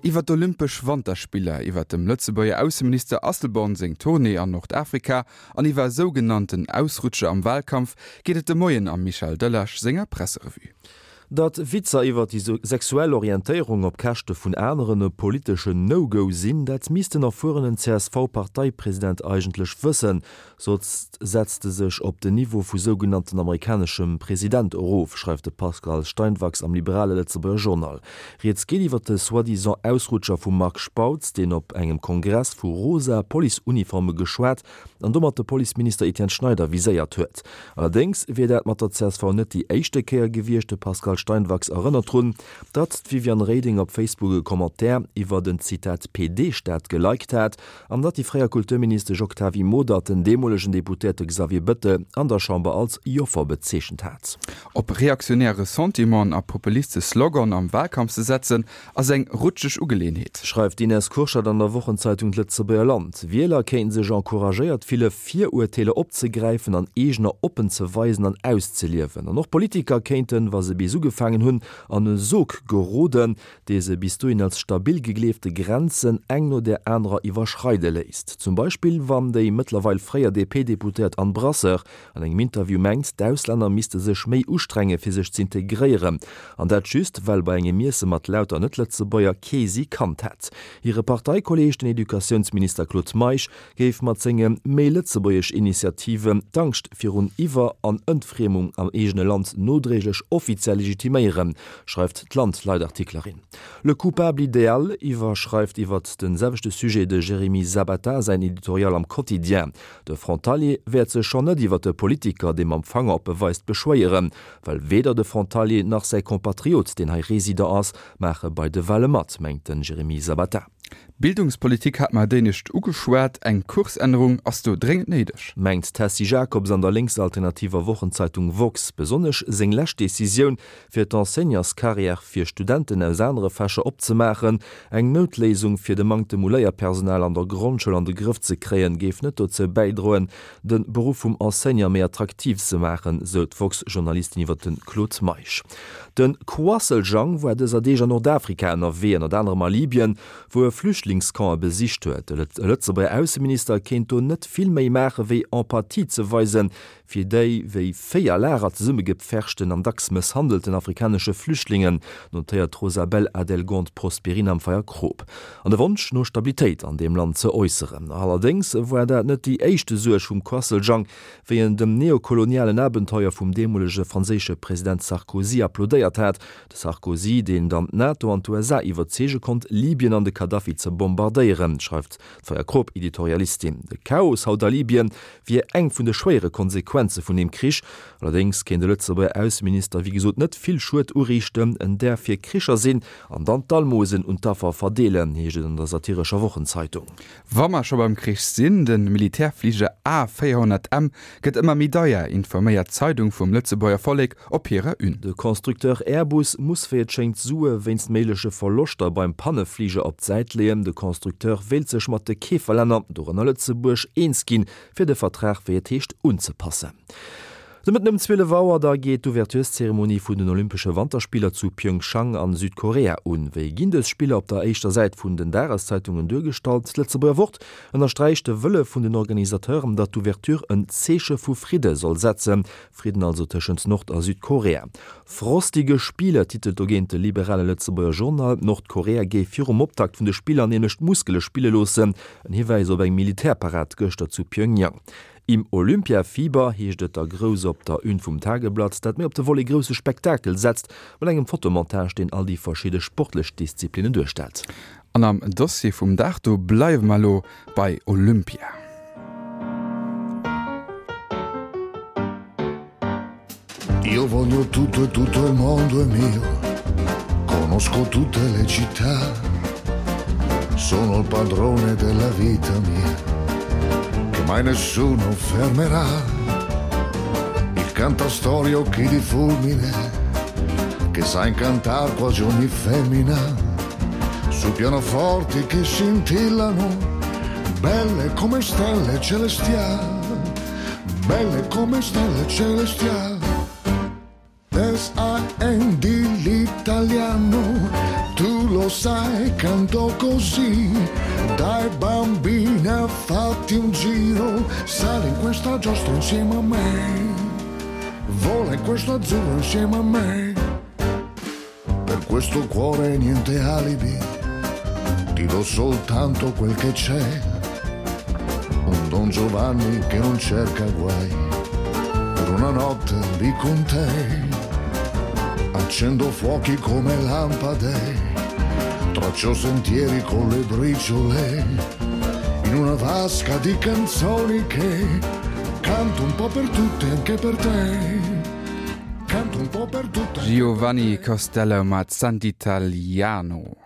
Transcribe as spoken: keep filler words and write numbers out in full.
Iwwer d'Olympesch Wanterspiller, iwwer dem Lëtzebuerger Ausseminister Asselborn seng Tournée an Nordafrika an iwwer sougenannten Ausrutscher am Walkampf geet et de Moien am Michel Delage senger Presserevue. Datt Witzer iwwer déi sexuell Orientéierung op Käschte vun aneren e politeschen No-Go sinn, dat misst den erfuerenen C S V-Parteipresident eigentlech wëssen, soss setzt e sech op den Niveau vu sougenannten amerikaneschem President erof, schreift de Pascal Steinwachs am liberale Lëtzebuerger Journal. Rieds geet iwwer de soi-disant Ausrutscher vum Marc Spautz, deen op engem Kongress vu rosa Policeuniforme geschwat an domat de Policeminister Etienne Schneider viséiert huet. Allerdéngs wier dat mat der C S V net déi éischte Kéier gewiescht. De Pascal Steinwachs erënnert drun, datt d'Viviane Reding op Facebook e Commentaire iwwer den Zitat P D-Staat geliked hat an datt déi fréier Kulturministesch Octavie Modert den deemolegen Deputéierte Xavier Bettel an der Chamber als Joffer bezeechent hat. Op reaktionär Ressentimenten a populistesch Sloganen am Walkampf ze setzen, ass eng rutscheg Ugeleeënheet. Schreift d'Ines Kurschat an der Wochenzeitung D'Lëtzebuerger Land. Wieler kéinte sech encouragéiert fille Virurteeler opzegräifen an eegener oppen ze weisen an auszeliewen. An och Politiker kéinten, wa se bis ugefaangen hunn, an e Sog geroden, dee se bis dohin als stabil gegleefte Grenzen eng no där anerer iwwerschreide léisst. Zum Beispill wann déi mëttlerweil fréier D P-Deputéiert Anne Brasseur an engem Interview mengt, d'Auslänner misste sech méi ustrenge fir sech z'integréieren. An dat just, well bei engem Iesse mat lauter Net-Lëtzebuerger kee si kannt hätt. Hire Parteikolleeg, den Educatiounsminister Claude Meisch, géif mat senge méi lëtzebuergesch Initiativen d'Angscht virun Iwwer an Entfriemung am eegene Land nodréiglech offiziell legitiméieren, schreift d'Land-Leitartiklerin. Le coupable idéal iwwerschreift iwwer de selwechte Sujet de Jérémy Sabata säin Editorial am Quotidien. De Frontalier wäert sech schonn net iwwer de Politiker, dee mam Fanger op e weist, beschwéieren, well weder de Frontalier nach säi Compatriot, deen hei Resident ass, maache bei de Wale mat, mengt den Jérémy Sabata. Bildungspolitik hat mer d'éinescht ugeschwat, eng Kursännerung ass do dréngend néideg. Mengt d'Tessie Jakobs an der lénksalternativer Wochenzeitung Woxx. Besonnesch seng lescht Decisioun, fir d'Enseignantscarrière fir Studenten aus anere Fächer opzemaachen, eng Noutléisung fir de Manktem u Léierpersonal an der Grondschoul an de Grëff ze kréien, géif net dozou bäidroen, de Beruff vum Enseignant méi attraktiv ze maachen, sou d'Woxx-Journalistin iwwer de Claude Meisch. De Quasseljang war dëser Deeg an Nordafrika ënnerwee, ënnert anerem a Libyen, wou e Flüchtlingscamp besicht huet. De Lëtzebuerger Ausseminister kéint do net vill méi maache wéi Empathie ze weisen, fir déi wéi Véi a Lager zesummegepferchten an dacks mësshandelten afrikanesche Flüchtlingen, notéiert d'Rosabelle Adelgond Prosperin am Feierkrop. An de Wonsch no Stabilitéit an deem Land ze äusseren. Allerdéngs war dat net déi éischt Suerg vum Quasseljang, wéi en dem neokolonialen Abenteuer vum deemolege franséische President Sarkozy applaudéiert hat. De Sarkozy, deen dann d'NATO an d'U S A iwwerzeege konnt, Libyen an de Gaddafi ze bombardéieren, schreift d'Feierkrop-Editorialistin. De Chaos haut a Libyen wier eng vun de schwéiere Konsequenze vun deem Krich. Allerdéngs kéint de Lëtzebuerger Ausseminister wéi gesot net vill Schued uriichten, en däerf fir Kricher sinn an dann d'Almosen un d'Affer verdeelen, heescht et an der satirescher Wochenzeitung. Wa mer scho beim Krich sinn, de Militärfliger A véierhonnert M gëtt ëmmer méi deier, informéiert d'Zeidung vum Lëtzebuerger Vollek op hirer Une. De Constructeur Airbus muss wéi et schéngt Sue wéinst méigleche Verloschter beim Pannefliger op d'Säit leeën. De Constructeur wéilt sech mat de Keeferlänner, dorënner Lëtzebuerg, eens ginn, fir de Vertrag, wéi et heescht, unzepassen. De Mëtten ëm zwielef Auer da geet d'Ouvertureszeremonie vun den Olympesche Wanterspiller zu Pyeongchang an Südkorea un. Wéi ginn dës Spiller op der éischter Säit vun den Dageszeitungen duergestallt? D'Lëtzebuerger Wort ënnersträicht de Wëlle vun den Organisateuren, datt d'Ouverture en Zeeche vu Fridde soll setzen, Fridden also tëschent Nord a Südkorea. Frostige Spiele titelt dogéint de liberale Lëtzebuerger Journal. Nordkorea géif virum Optakt vun de Spiller nämlech d'Muskele spille loossen, en Hiwäis op eng Militärparad gëschter zu Pyongyang. Im Olympiafieber heescht et da grouss op der Une vum Tageblatt, dat méi op de Volet grousse Spektakel setzt, mat engem Fotomontage, deen all déi verschidde sportlech Disziplinnen duerstellt. An am Dossier vum Dag do bleiwe mer elo bei Olympia. Io voglio tutto e tutto il mondo è mio, conosco tutte le città, sono il padrone della vita mia, che mai nessuno fermerà. Il cantastorie occhi di fulmine, che sa incantar quasi ogni femmina, su pianoforti che scintillano, belle come stelle celestiali, belle come stelle celestiali. S A N D l'italiano, tu lo sai, canto così. Dai bambina, fatti un giro, sali in questa giostra insieme a me. Vola in questo azzurro insieme a me. Per questo cuore niente alibi, ti do soltanto quel che c'è. Un Don Giovanni che non cerca guai, per una notte lì con te. Accendo fuochi come lampade, traccio sentieri con le briciole, in una vasca di canzoni che canto un po' per tutte anche per te. Canto un po' per tutte. Giovanni Costello mat Sant'Italiano.